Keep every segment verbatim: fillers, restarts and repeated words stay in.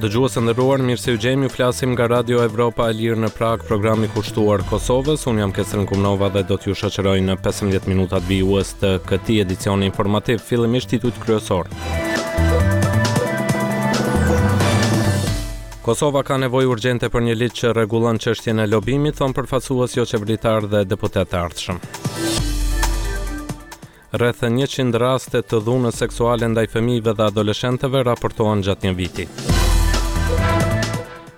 Dëgjues të nderuar, mirë se ju gjejmë. Ju flasim nga Radio Evropa e Lirë në Prag, programi kushtuar Kosovës. Unë jam Kesrin Kumnova dhe do t'ju shoqëroj në pesëmbëdhjetë minutat vijues të këtij edicioni informativ. Fillimisht titujt kryesor. Kosova ka nevojë urgjente për një ligj që rregullon çështjen e lobimit, thon përfaqësues jo qeveritar dhe deputetë të ardhshëm. Rreth njëqind raste të dhunës seksuale ndaj fëmijëve dhe adoleshentëve raportohen gjatë një viti.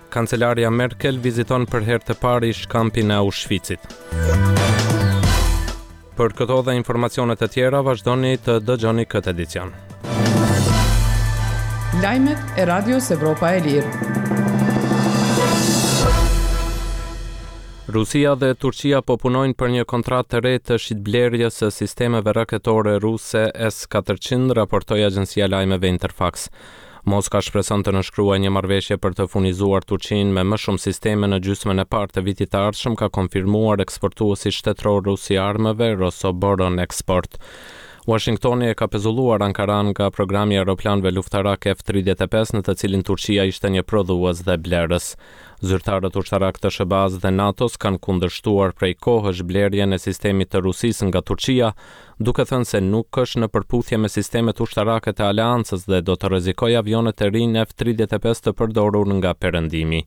Kancelarja Merkel viziton për herë të parë ish kampin e Auschwitzit. Për këto dhe informacione të tjera vazhdoni të dëgjoni këtë edicion. Lajmet e Radios Evropa e Lirë. Rusia dhe Turqia po punojnë për një kontratë të re të shitblerjes së sistemeve raketore ruse S katërqind, raportoi agjencia lajmeve Interfax. Moska shpreson të nënshkruajë një marrëveshje për të furnizuar Turqinë me më shumë sisteme në gjysmën e parë të vitit të ardhshëm, ka konfirmuar eksportuesi shtetëror rus i armëve Rosoboron Export. Washingtoni e ka pezulluar Ankaran nga programi i aeroplanëve luftarak F tridhjetë e pesë, në të cilin Turqia ishte një prodhues dhe blerës. Zyrtarët ushtarak të S H B A-s dhe NATO-s kanë kundërshtuar prej kohësh blerjen e sistemit të Rusisë nga Turqia, duke thënë se nuk është në përputhje me sistemet ushtarake të aleancës dhe do të rrezikojë avionët e rinj F tridhjetë e pesë të përdorur nga Perëndimi.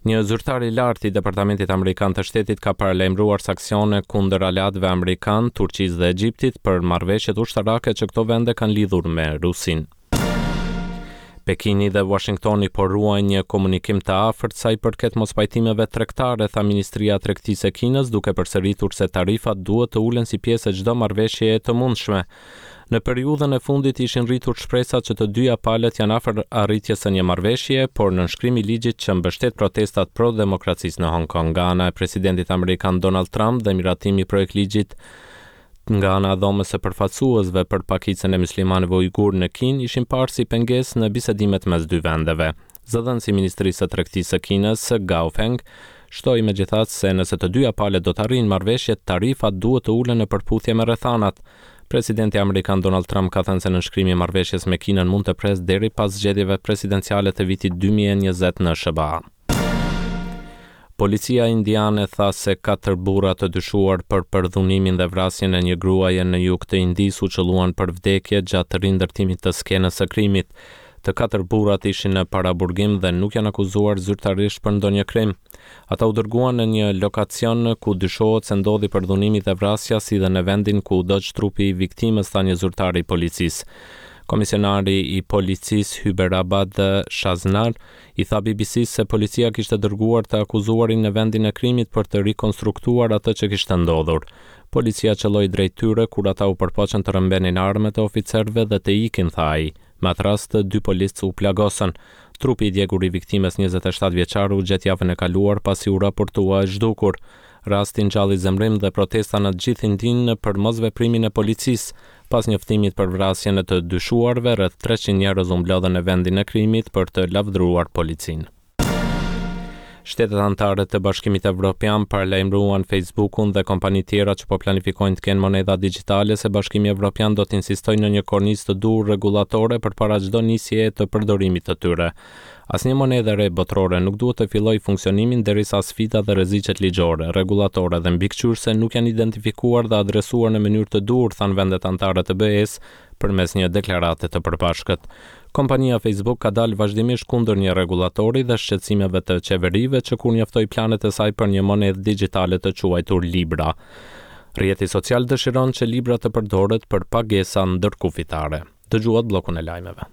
Një zyrtar i lartë i Departamentit Amerikan të Shtetit ka paralajmëruar sanksione kundër aleatëve amerikan, Turqisë dhe Egjiptit për marrëveshjet ushtarake që këto vende kanë lidhur me Rusinë. Pekini dhe Washingtoni po ruajnë një komunikim të afërt sa i përket mospajtimeve tregtare, tha Ministria e Tregtisë e Kinës, duke përsëritur se tarifat duhet të ulen si pjesë e çdo marrëveshjeje të mundshme. Në periudhën e fundit ishin rritur shpresat që të dyja palët janë afër arritjes së një marrëveshjeje, por nënshkrimi i ligjit që mbështet protestat pro demokracisë në Hong Kong nga ana e presidentit amerikan Donald Trump dhe miratimi i projektligjit nga ana e dhomës së përfaqësuesve për pakicën e muslimanëve ujgur në Kinë ishin parë si pengesë në bisedimet mes dy vendeve. Zëdhënësi i Ministrisë së Tregtisë së Kinës, Gao Feng, shtoi megjithatë se nëse të dyja palët do të arrijnë marrëveshje, tarifat duhet të ulen në përputhje me rrethanat. Presidenti amerikan Donald Trump ka thënë se nënshkrimi i marrëveshjes me Kinën mund të presë deri pas zgjedhjeve presidenciale të vitit dy mijë e njëzet në S H B A. Policia indiane tha se katër burra të dyshuar për përdhunimin dhe vrasjen e një gruaje në jug të Indisë u qëlluan për vdekje gjatë rindërtimit të skenës së krimit. Të katër burrat ishin në paraburgim dhe nuk janë akuzuar zyrtarisht për ndonjë krim. Ata u dërguan në një lokacion ku dyshohet se ndodhi përdhunimi dhe vrasja, si dhe në vendin ku u dogj trupi i viktimës, tha një zyrtar i policisë. Komisionari i policisë Hyderabad Shaznar i tha B B C se policia kishte dërguar të akuzuarin në vendin e krimit për të rikonstruktuar atë që kishte ndodhur. Policia qëlloi drejt tyre kur ata u përpoqën të rrëmbenin armët e oficerëve dhe të ikin, tha ai. Me atë rast, dy policë u plagosën. Trupi i djegur i viktimës njëzet e shtatë vjeçare u gjet javën e kaluar pasi u raportua e zhdukur. Rasti ngjalli zemërim dhe protesta në gjithë Indinë për mosveprimin e policisë. Pas njoftimit për vrasjen e të dyshuarve, rreth treqind njerëz u mblodhën në vendin e krimit për të lavdëruar policinë. Shtetet anëtare të Bashkimit Evropian paralajmëruan Facebookun dhe kompani tjera që po planifikojnë të kenë monedha digjitale se Bashkimi Evropian do të insistojë në një kornizë të duhur rregullatore përpara çdo nisjeje të përdorimit të tyre. Asnjë monedhë e re botërore nuk duhet të fillojë funksionimin derisa sfidat dhe rreziqet ligjore, rregullatore dhe mbikëqyrëse nuk janë identifikuar dhe adresuar në mënyrë të duhur, thanë vendet anëtare të B E-s përmes një deklarate të përbashkët. Kompania Facebook ka dalë vazhdimisht kundër një rregullatori dhe shqetësimeve të qeverive që kur njoftoi planet e saj për një monedhë digjitale të quajtur Libra. Rrjeti social dëshiron që Libra të përdoret për pagesa ndërkufitare. Dëgjuat bllokun e lajmeve.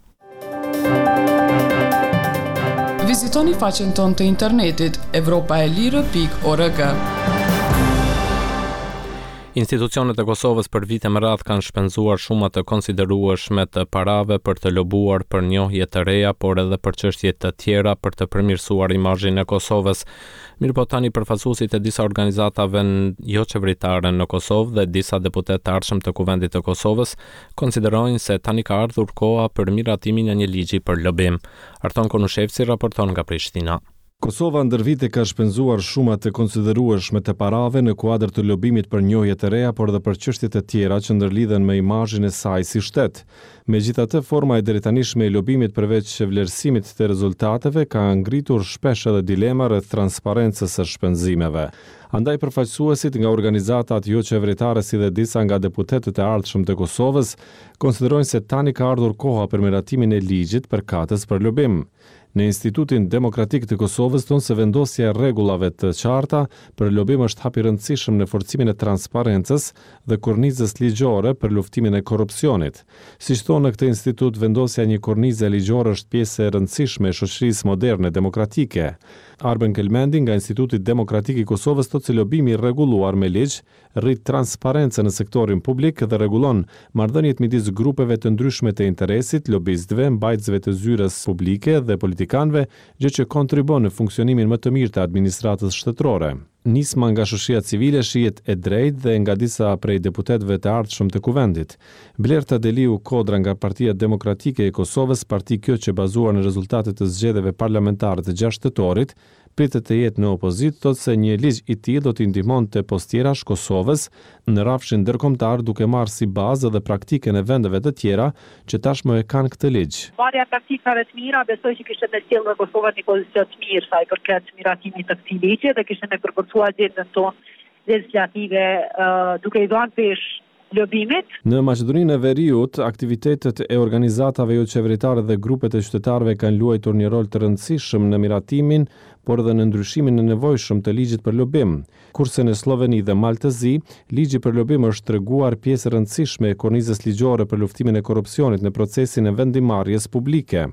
Vizitoni faqen tonë të internetit evropa e lirë pikë org. Institucionet e Kosovës për vite me radhë kanë shpenzuar shuma të konsiderueshme të parave për të lobuar për njohje të reja, por edhe për çështje të tjera për të përmirësuar imazhin e Kosovës. Mirëpo tani përfaqësuesit e disa organizatave jo qeveritare në Kosovë dhe disa deputetë të ardhshëm të Kuvendit të Kosovës konsiderojnë se tani ka ardhur koha për miratimin e një ligji për lobim. Arton Konushevci raporton nga Prishtina. Kosova ndër vite ka shpenzuar shuma të konsiderueshme të parave në kuadër të lobimit për njohje të reja, por edhe për çështje të tjera që ndërlidhen me imazhin e saj si shtet. Megjithatë, forma e deritanishme e lobimit, përveç vlerësimit të rezultateve, ka ngritur shpesh edhe dilema rreth transparencës së shpenzimeve. Andaj, përfaqësuesit nga organizatat jo qeveritare, si dhe disa nga deputetët e ardhshëm të Kosovës, konsiderojnë se tani ka ardhur koha për miratimin e ligjit përkatës për lobim. Në Institutin Demokratik të Kosovës thonë se vendosja e rregullave të qarta për lobim është hap i rëndësishëm në forcimin e transparencës dhe kornizës ligjore për luftimin e korrupsionit. Siç thonë në këtë institut, vendosja e një kornize ligjore është pjesë e rëndësishme e shoqërisë moderne demokratike. Arben Kelmendi nga Instituti Demokratik i Kosovës thotë se lobimi i rregulluar me ligj rrit transparencën në sektorin publik dhe rregullon marrëdhëniet midis grupeve të ndryshme të interesit, lobistëve, mbajtësve të zyrës publike dhe politikanëve, gjë që kontribuon në funksionimin më të mirë të administratës shtetërore. Nisma nga shoqëria civile shihet e drejtë dhe nga disa prej deputetëve të ardhshëm të Kuvendit. Blerta Deliu Kodra nga Partia Demokratike e Kosovës, parti kjo që, bazuar në rezultatet e zgjedhjeve parlamentare të gjashtë tetorit, pritet të jetë në opozitë, thotë se një ligj i tillë do t'i ndihmonte pos tjerash Kosovës në rrafshin ndërkombëtar, duke marrë si bazë edhe praktikën e vendeve të tjera që tashmë e kanë këtë ligj. Marrja e praktikave të mira besoj që kishte me sjellë në Kosovë një pozicion të mirë sa i përket miratimit të këtij ligji dhe kishte me përforcuar agjendën tonë legjislative, duke i dhënë peshë lobimit. Në Maqedoninë e Veriut, aktivitetet e organizatave jo qeveritare dhe grupet e qytetarëve kanë luajtur një rol të rëndësishëm në miratimin, por edhe në ndryshimin e nevojshëm të ligjit për lobim. Kurse në Sloveni dhe Mal të Zi, ligji për lobim është treguar pjesë e rëndësishme e kornizës ligjore për luftimin e korrupsionit në procesin e vendimmarrjes publike.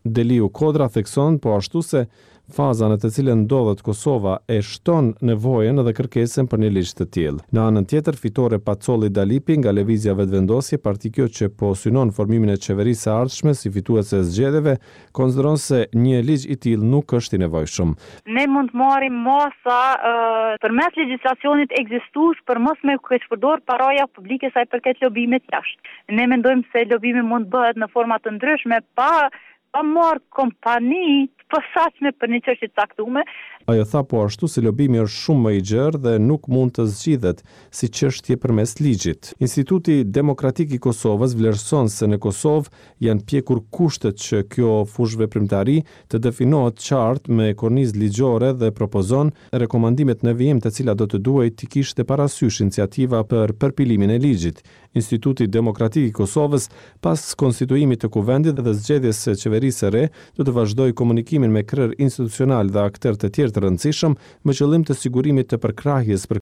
Deliu Kodra thekson po ashtu se faza në të cilën ndodhet Kosova e shton nevojën dhe kërkesën për një ligj të tillë. Në anën tjetër, Fitore Pacolli Dalipi nga Lëvizja Vetëvendosje, parti kjo që po synon formimin e qeverisë së ardhshme si fituese e zgjedhjeve, konsideron se një ligj i tillë nuk është i nevojshëm. Ne mund të marrim masa uh, përmes legjislacionit ekzistues për mos me keqpërdor paraja publike sa i përket lobimit jashtë. Ne mendojmë se lobimi mund të bëhet në forma të ndryshme pa pa marrë kompani të posaçme për një çështje të caktuar. Ajo tha po ashtu se lobimi është shumë më i gjerë dhe nuk mund të zgjidhet si çështje përmes ligjit. Instituti Demokratik i Kosovës vlerëson se në Kosovë janë pjekur kushtet që kjo fushëveprimtari të definohet qartë me kornizë ligjore dhe propozon rekomandimet në vijim, të cilat do të duhej të kishte parasysh iniciativa për përpilimin e ligjit. Instituti Demokratik i Kosovës, pas konstituimit të Kuvendit dhe zgjedhjes së qeverisë së re, do të vazhdojë komunikimin me krerë institucional dhe akterë të tjerë të rëndësishëm me qëllim të sigurimit të përkrahjes për